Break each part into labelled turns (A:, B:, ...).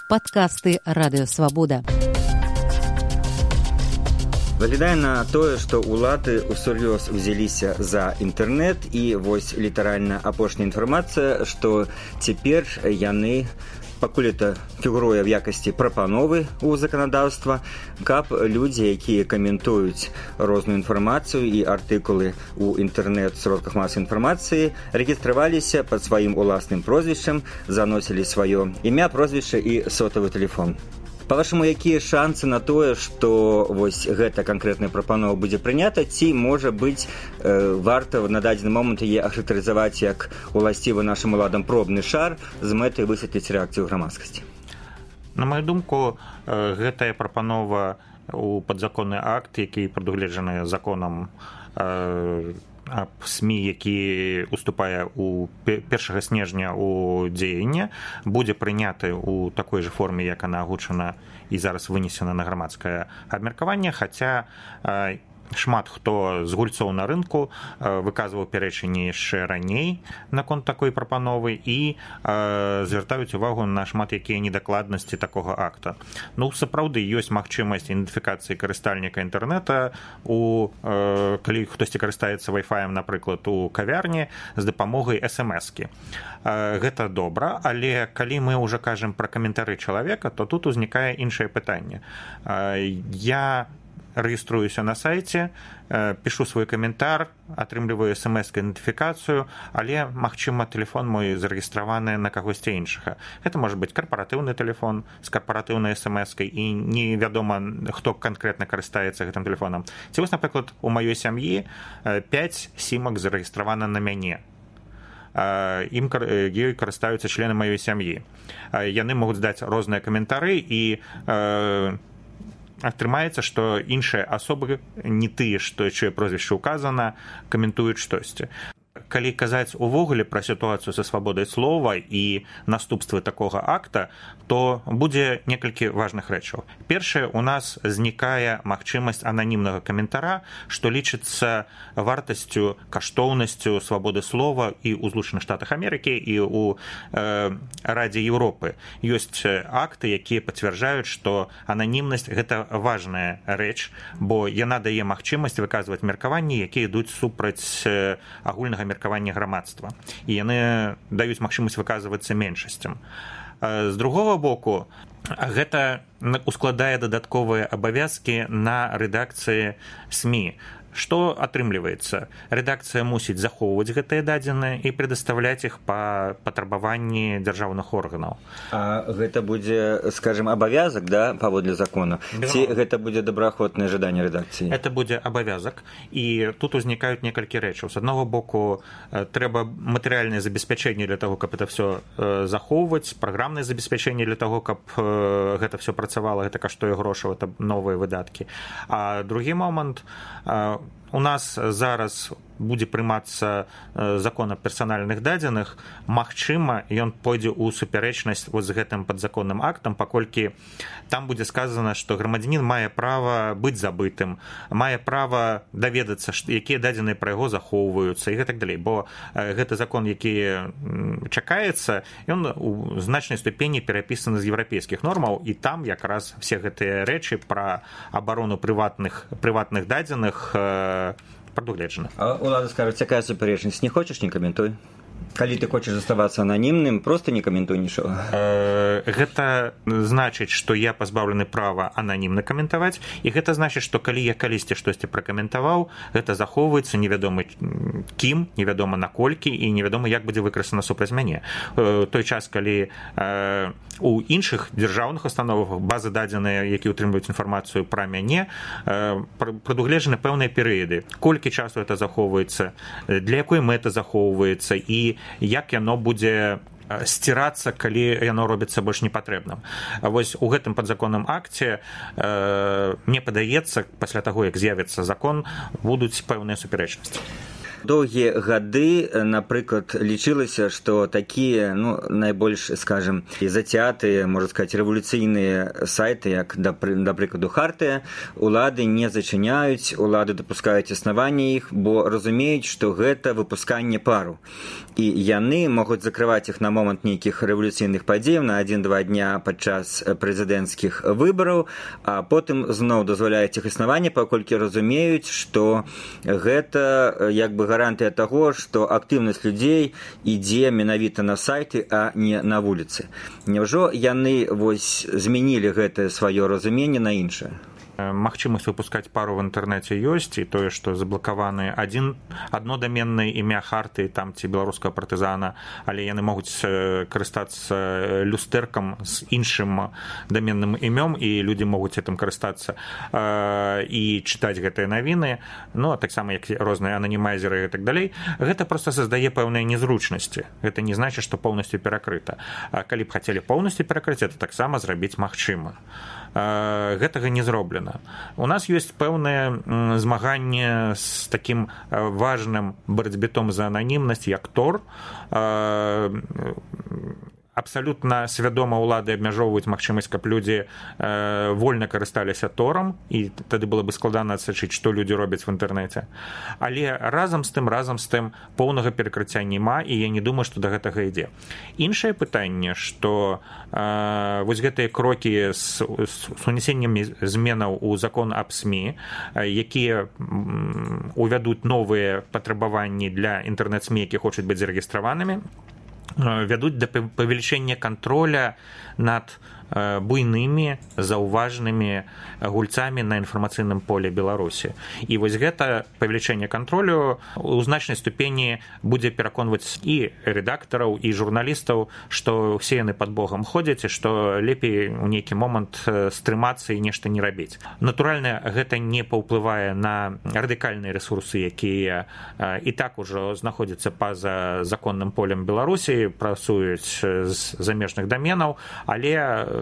A: Падкасты Радыёвабода.
B: Выглядае на тое, што ўлады ўсур'ёз узяліся за інтэрнэт, і вось літаральна апошняя інфармацыя, што цяпер яны, пакуль это фігуруе в якасці прапановы ў заканадаўства, каб людзі, якія каментуюць розную інфармацыю і артыкулы ў інтэрнэт-сродках масавай інфармацыі, рэгістраваліся пад сваім уласным прозвішчам, заносілі сваё імя, прозвішча і сотавы тэлефон. Па-вашаму, якія шансы на тое, што вось гэта канкрэтная прапанова будзе прынята, ці, можа быць, варта на дадзены момант яе ахарактарызаваць як уласцівы нашым уладам пробны шар з мэтай высветліць рэакцыю грамадскасці?
C: На маю думку, гэтая прапанова ў падзаконны акт, які прадугледжаны законам аб СМІ, які уступае ў 1 снежня ў дзеянне, будзе прыняты ў такой жа форме, як она агучана і зараз вынесена на грамадскае абмеркаванне, хаця шмат хто з гульцоў на рынку выказваў пярэчанні яшчэ раней наконт такой прапановы і звяртаюць увагу на шмат якія недакладнасці такога акта. Ну, сапраўды, ёсць магчымасць ідэнтыфікацыі карыстальніка інтэрнэта, калі хтосьці карыстаецца вай-фаем, напрыклад, у кавярні з дапамогай смс-кі. Гэта добра, але калі мы ўжо кажам пра каментары чалавека, то тут узнікае іншае пытанне. Я рэгіструюся на сайце, пішу свой каментар, атрымліваю смс-ідэнтыфікацыю, але, магчыма, тэлефон мой зарэгістраваны на кагосьці іншага. Гэта можа быць карпаратыўны тэлефон з карпаратыўнай смс-кай, і невядома, хто канкрэтна карыстаецца гэтым тэлефонам. Ці вось, напрыклад, у маёй сям'і 5 сімак зарэгістравана на мяне. Ёй карыстаюцца члены маёй сям'і. Яны могуць даць розныя каментары, і атрымаецца, што іншыя асобы, не тыя, што чые прозвішча ўказана, каментуюць штосьці. Калі казаць увогуле пра сітуацыю са свабодай слова і наступствы такога акта, то будзе некалькі важных рэчаў. Першае, у нас знікае магчымасць ананімнага каментара, што лічыцца вартасцю, каштоўнасцю свабоды слова і ў Злучаных Штатах Амерыкі, і ў Радзе Еўропы. Ёсць акты, якія пацвярджаюць, што ананімнасць – гэта важная рэч, бо яна дае магчымасць выказваць меркаванні, якія ідуць супраць агульнага меркавання грамадства. І яны даюць магчымасць выказвацца меншасцям. З другога боку, гэта ускладае дадатковыя абавязкі на рэдакцыі СМІ. Што атрымліваецца? Рэдакцыя мусіць захоўваць гэтыя дадзеныя і прадастаўляць іх па патрабаванні дзяржаўных органаў.
B: А гэта будзе, скажем, абавязак, да, паводле закона? Ці гэта будзе добраахвотнае жаданне рэдакцыі?
C: Гэта будзе абавязак, і тут узнікаюць некалькі рэчаў. З аднаго боку, трэба матэрыяльнае забеспячэнне для таго, каб это все захоўваць, праграмнае забеспячэнне для таго, каб гэта все працавала, гэта каштуе грошаў, это новыя выдаткі. А другі момант, у нас зараз будзе прымацца закон аб персанальных дадзеных, магчыма, ён пойдзе ў супярэчнасць з гэтым падзаконным актам, паколькі там будзе сказана, што грамадзянін мае права быць забытым, мае права даведацца, якія дадзеныя пра яго захоўваюцца і гэтак далей, бо гэты закон, які чакаецца, ён у значнай ступені перапісаны з еўрапейскіх нормаў, і там якраз все гэтыя рэчы пра абарону прыватных дадзеных прадугледжана.
B: А улада скажуць, якая супярэчнасць? Не хочаш, не каментуй. Калі ты хочаш заставацца ананімным, проста не каментуй нічога.
C: Гэта значыць, што я пазбаўлены права ананімна каментаваць, і гэта значыць, што калі я калісьці штосьці пракаментаваў, гэта захоўваецца невядома кім, невядома наколькі, і невядома, як будзе выкарыстана супраць мяне. Той час, калі у іншых дзяржаўных установах базы дадзеныя, які ўтрымліваюць інфармацыю пра мяне, прадугледжаны пэўныя перыяды. Колькі часу это захоўваецца, для якой мэты захоўваецца, і як яно будзе сцірацца, калі яно робіцца больш непатрэбным. Вось у гэтым падзаконным акце, мне падаецца, пасля таго, як з'явіцца закон, будуць пэўныя супярэчнасці.
B: Доўгія гады, напрыклад, лічылася, што такія, найбольш, скажем, зацятыя, можна сказаць, рэвалюцыйныя сайты, як, да прыкладу, Хартыя, улады не зачыняюць, улады дапускаюць існаванне іх, бо разумеюць, што гэта выпусканне пару. І яны могуць закрываць іх на момант нейкіх рэвалюцыйных падзеяў на 1-2 дня падчас прэзідэнцкіх выбараў, а потым зноў дазваляюць іх існаванне, паколькі разумеюць, што гэта як бы гарантыя таго, што актыўнасць людзей ідзе менавіта на сайты, а не на вуліцы. Няўжо яны змянілі гэтае сваё разуменне на іншае?
C: Магчымасць выпускаць пару в інтэрнэце ёсць, і тое, што заблакаваны адно даменнае імя Харты, там ці беларускага партызана, але яны могуць карыстацца люстэркам з іншым даменным імём, і людзі могуць гэтым карыстацца і чытаць гэтыя навіны, а таксама як розныя ананімайзеры і так далей. Гэта проста создае пэўныя незручнасці. Гэта не значыць, што поўнасцю перакрыта. Калі б хацелі поўнасцю перакрыць, это таксама зрабіць магчыма. Гэтага не зроблена. У нас ёсць пэўнае змаганне з такім важным барацьбітом за ананімнасць, як Тор. Абсалютна свядома ўлады абмяжоўваюць магчымасць, каб людзі вольна карысталіся Торам, і тады было бы складана адсачыць, што людзі робяць в інтэрнэце. Але разам з тым поўнага перакрыцця няма, і я не думаю, што да гэтага ідзе. Іншае пытанне, што вось гэтыя крокі з унесеннем зменаў у закон аб СМІ, якія увядуць новыя патрабаванні для інтэрнэт-СМІ, які хочуць быць зарэгістраванымі, вядуць да павелічэння контроля над буйнымі заўважнымі гульцамі на інфармацыйным поле Беларусі. І вось гэта павелічэнне кантролю у значнай ступені будзе пераконваць і рэдактараў, і журналістаў, што ўсе яны пад Богам ходзяць, і што лепей у нейкі момант стрымацца і нешта не рабіць. Натуральна, гэта не паўплывае на радыкальныя рэсурсы, якія і так ужо знаходзяцца па-за законным полем Беларусі, працуюць з замежных даменаў, але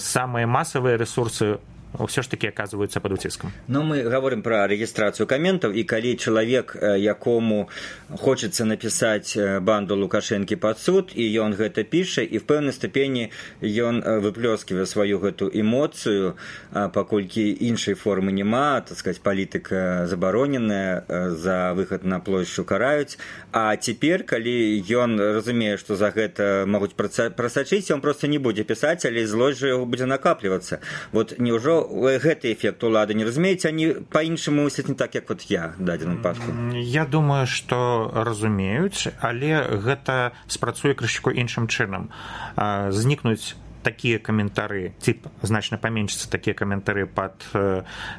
C: самыя масавыя рэсурсы ўсё ж такі аказваюцца пад уціскам.
B: Мы гаворым пра рэгістрацыю каментаў, і калі чалавек, якому хочацца напісаць банду Лукашэнкі пад суд, і ён гэта піша, і в пэўнай ступені ён выплёсківае сваю гэту эмоцыю, паколькі іншай формы няма, так сказаць, палітыка забароненая, за выхад на плошчу караюць, а цяпер, калі ён разумее, што за гэта могуць прасачыць, ён проста не будзе пісаць, але злосць жа яго будзе накаплівацца. Вот няўжо гэты эфект улады не разумеюць, они па-іншаму мысляць не так, як вот я в дадзеным выпадку?
C: Я думаю, што разумеюць, але гэта спрацуе крышку іншым чынам. Знікнуць такія каментары, значна паменшыцца такія каментары пад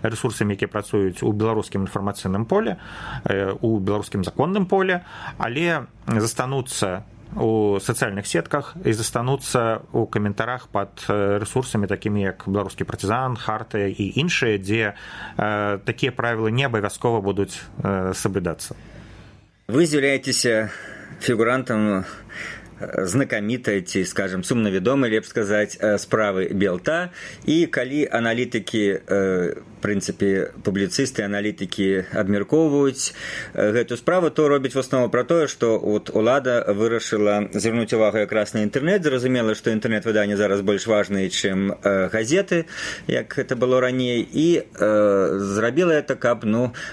C: рэсурсамі, якія працуюць у беларускім інфармацыйным поле, у беларускім законным поле, але застануцца у сацыяльных сетках і застануцца ў каментарах пад рэсурсамі, такімі як беларускі партызан, Хартыя і іншыя, дзе такія правілы не абавязкова будуць соблюдацца.
B: Вы з'яўляецеся фігурантам знакамітай ці, скажем, сумна вядомай, лепш сказаць, справы Белта, і калі аналітыкі, в прынцыпе, публіцысты, аналітыкі абмяркоўваюць гэту справу, то робяць в основу пра тое, што улада вырашыла звярнуць увагу якраз на інтэрнэт, зразумела, што інтэрнэт-выданні зараз больш важныя, чым газеты, як гэта было раней, і зрабіла гэта, каб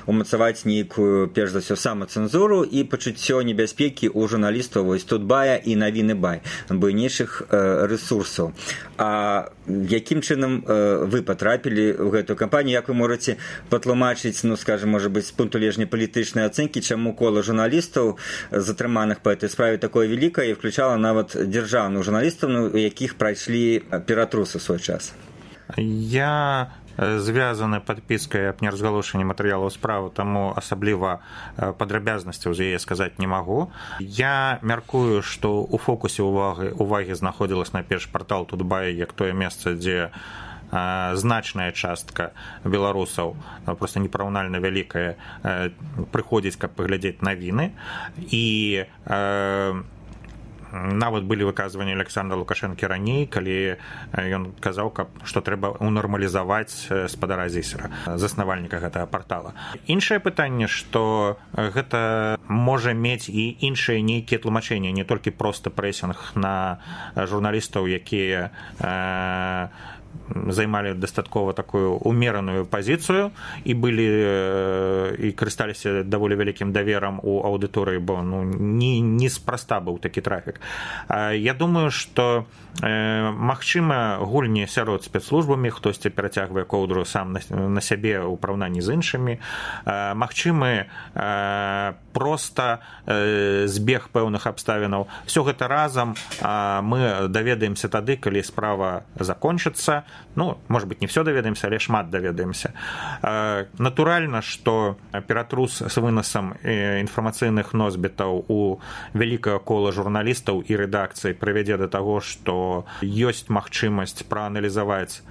B: умацаваць нейкую, перш за ўсё, самацэнзуру і пачуццё небяспекі ў журналістаў вось Тутбая і Навіны Бай, буйнейшых рэсурсаў. А якім чынам вы патрапілі ў гэтую кампанію? Як вы можаце патлумачыць, скажем, можа быць, з пункту гледжання палітычнай ацэнкі, чаму кола журналістаў, затрыманых па этой справе, такое вялікае, і включала нават дзяржаўных журналістаў, у якіх прайшлі ператрусы ў свой час?
C: Я звязаны падпіскай аб неразгалошанні матэрыялаў справы, таму асабліва падрабязнасцяў з яе сказаць не магу. Я мяркую, што ў фокусе увагі знаходзілась найперш партал Тутбай, як тое месца, дзе значная частка беларусаў, просто непараўнальна вялікая, прыходзіць, каб паглядзець навіны, і нават былі выказванні Александра Лукашэнкі раней, калі ён казаў, што трэба унармалізаваць спадара Зісера, заснавальніка гэтага партала. Іншае пытанне, што гэта можа мець і іншыя нейкія тлумачэнні, не толькі проста прэсінг на журналістаў, якія займалі дастаткова такую умераную пазіцыю і былі і карысталіся даволі вялікім даверам у аўдыторыі, бо неспроста быў такі трафік. Я думаю, што магчыма гульні сярод спецслужбамі, хтосьці перацягвае коўдру сам на сябе ў параўнанні з іншымі, магчымы проста збег пэўных абставінаў. Всё гэта разам мы даведаемся тады, калі справа закончыцца. Может быть, не все даведаемся, але шмат даведаемся. Натуральна, што ператрус з вынасам інфармацыйных носьбітаў у вялікае кола журналістаў і рэдакцый прывядзе да таго, што ёсць магчымасць прааналізаваць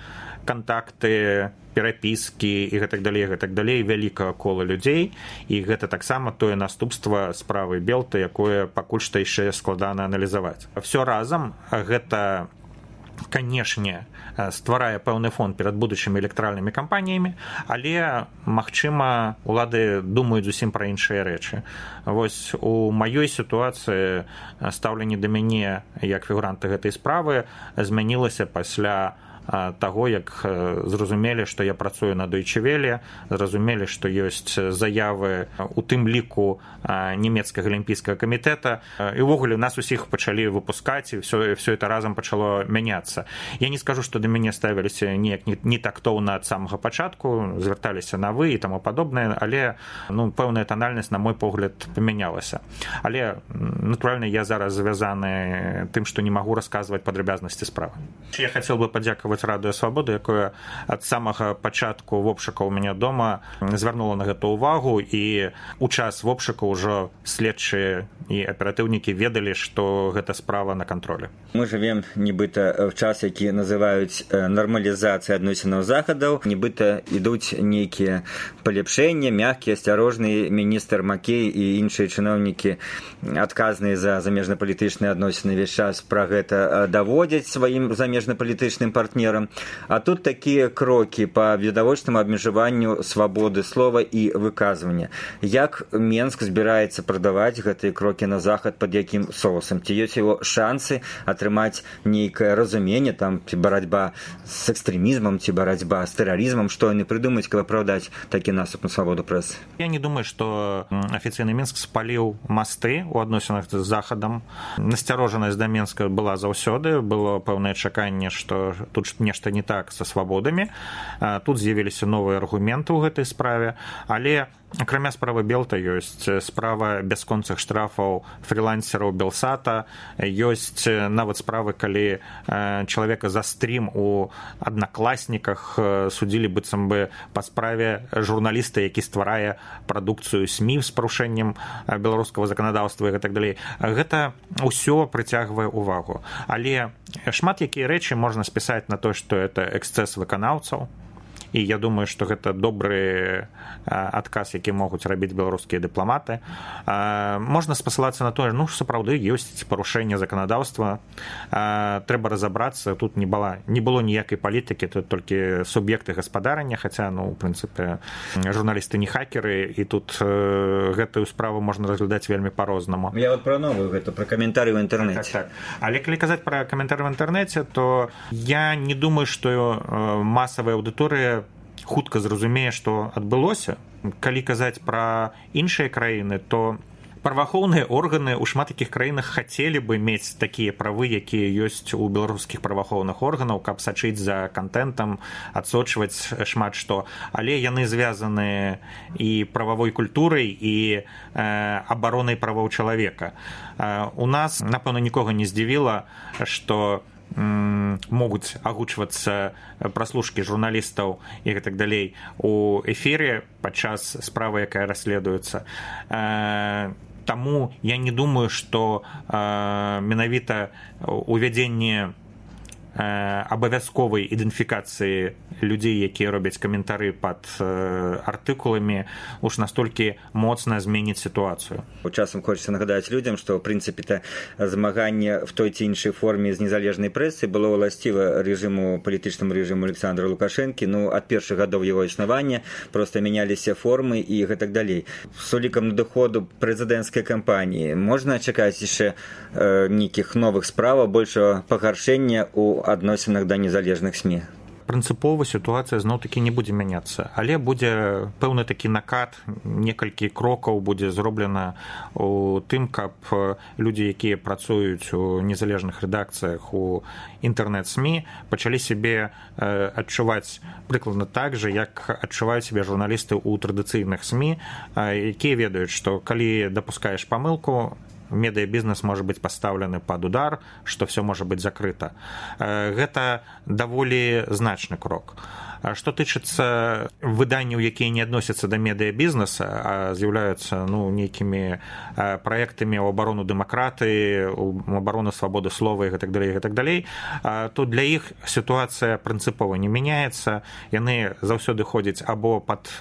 C: кантакты, перапіскі і гэтак далей вялікага кола людзей, і гэта таксама тое наступства справы Белты, якое пакуль што яшчэ складана аналізаваць. Всё разам гэта, канешне, стварае пэўны фон перад будучымі электаральнымі кампаніямі, але, магчыма, улады думаюць зусім пра іншыя рэчы. Вось у маёй сітуацыі стаўленне да мяне як фігуранта гэтай справы змянілася пасля таго, як зразумелі, што я працую на Deutsche Welle, зразумелі, што ёсць заявы у тым ліку нямецкага алімпійскага камітэта, і ўвогуле нас усіх пачалі выпускаць, і все это разам пачало мяняцца. Я не скажу, што да мяне ставіліся неяк не тактоўна ад самага пачатку, звярталіся на вы і таму падобнае, але пэўная танальнасць, на мой погляд, памянялася. Але, натуральна, я зараз звязаны тым, што не магу расказваць падрабязнасці справы. Я хацеў бы падзякаваць Радыё Свабода, якое ад самага пачатку вобшука ў мяне дома звярнула на гэта ўвагу, і у час вобшука ўжо следчыя і аператыўнікі ведалі, што гэта справа на кантролі.
B: Мы жывем нібыта в час, які называюць нармалізацыя адносінаў захадаў, нібыта ідуць нейкія палепшэнні, мяккія, асцярожныя. Міністр Макей і іншыя чыноўнікі, адказныя за замежнапалітычныя адносіны, весь час пра гэта даводзяць сваім замежнапалітычным партнерам. А тут такія крокі па відавочнаму абмежаванню свабоды слова і выказвання. Як Менск збіраецца прадаваць гэтыя крокі на захад, пад якім соусам? Ці ёсць яго шансы атрымаць нейкае разуменне, ці барацьба з экстрэмізмам, ці барацьба з тэрарызмам, што яны прыдумаюць, каб апраўдаць такі наступ на свабоду прэсы?
C: Я не думаю, што афіцыйны Менск спаліў масты ў адносінах з захадам. Насцярожанасць да Менска была заўсёды, было пэўнае чаканне, што тут нешта не так са свабодамі. Тут з'явіліся новыя аргументы ў гэтай справе, але акрамя справы Белта ёсць справа бясконцых штрафаў фрілансераў Белсата, ёсць нават справы, калі чалавека за стрім у Аднакласніках судзілі быццам бы па справе журналіста, які стварае прадукцыю СМІ з парушэннем беларускага заканадаўства і гэтак далей. Гэта ўсё прыцягвае ўвагу. Але шмат якія рэчы можна спісаць на то, што это эксцэс выканаўцаў, і я думаю, што гэта добры адказ, які могуць рабіць беларускія дыпламаты. Можна спасылацца на тое, сапраўды ёсць парушэнне заканадаўства, трэба разабрацца. Тут не было ніякай палітыкі, тут толькі суб'екты гаспадарання, хаця, у прынцыпе, журналісты не хакеры, і тут гэтую справу можна разглядаць вельмі па-рознаму.
B: Я пра новую гэта, пра каментары ў інтэрнэце.
C: Так. Але калі казаць пра каментары ў інтэрнэце, то я не думаю, што масавая аўдыторыя хутка зразумее, што адбылося. Калі казаць пра іншыя краіны, то праваахоўныя органы ў шмат якіх краінах хацелі бы мець такія правы, якія ёсць у беларускіх праваахоўных органаў, каб сачыць за контентам, адсочваць шмат што. Але яны звязаны і прававой культурай, і абаронай правоў чалавека. У нас, напэўна, нікога не здзівіла, што могуць агучвацца праслушкі журналістаў і гэтак далей у эфіры падчас справы, якая расследуецца. Таму я не думаю, што менавіта увядзенне абавязковай ідэнтыфікацыі людзей, якія робяць каментары пад артыкуламі, уж настолькі моцна зменіць сітуацыю.
B: Часам хочется нагадаць людзям, што ў прынцыпе змаганне в той ці іншай форме з незалежнай прэсы было ўласціва палітычнаму рэжыму Александра Лукашэнкі, ад першых гадоў яго існавання просто мяняліся формы і гэтак далей. З улікам надыходу прэзідэнцкай кампаніі можна чакаць яшчэ нейкіх новых справаў, большага пагаршэння ў адносінах да незалежных СМІ?
C: Прынцыпова сітуацыя зноў-такі не будзе мяняцца, але будзе пэўны такі накат, некалькі крокаў будзе зроблена у тым, каб людзі, якія працуюць у незалежных рэдакцыях у інтэрнэт-СМІ, пачалі сябе адчуваць прыкладна так жа, як адчуваюць сябе журналісты ў традыцыйных СМІ, якія ведаюць, што калі дапускаеш памылку, медыябізнес можа быць пастаўлены пад удар, што ўсё можа быць закрыта. Гэта даволі значны крок. Што тычыцца выданняў, якія не адносяцца да медыябізнеса, а з'яўляюцца нейкімі праектамі ў абарону дэмакратыі, у абарону свабоды слова і гэтак далей, то для іх сітуацыя прынцыпова не мяняецца. Яны заўсёды ходзяць або пад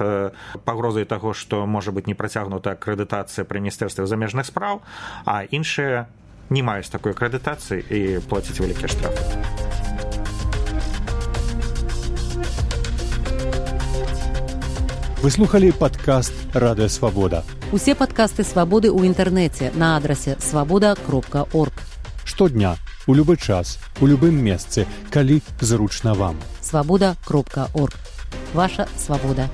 C: пагрозай таго, што можа быць не працягнута акрэдытацыя пры міністэрстве замежных спраў, а іншыя не маюць такой акрэдытацыі і плацяць вялікія штрафы.
D: Вы слухали падкаст «Радыё Свабода».
A: Усе падкасты «Свабоды» ў інтэрнэце на адрасе свабода.орг.
D: Штодня, у любы час, у любым месцы, калі зручна вам.
A: Свабода.орг. Ваша свабода.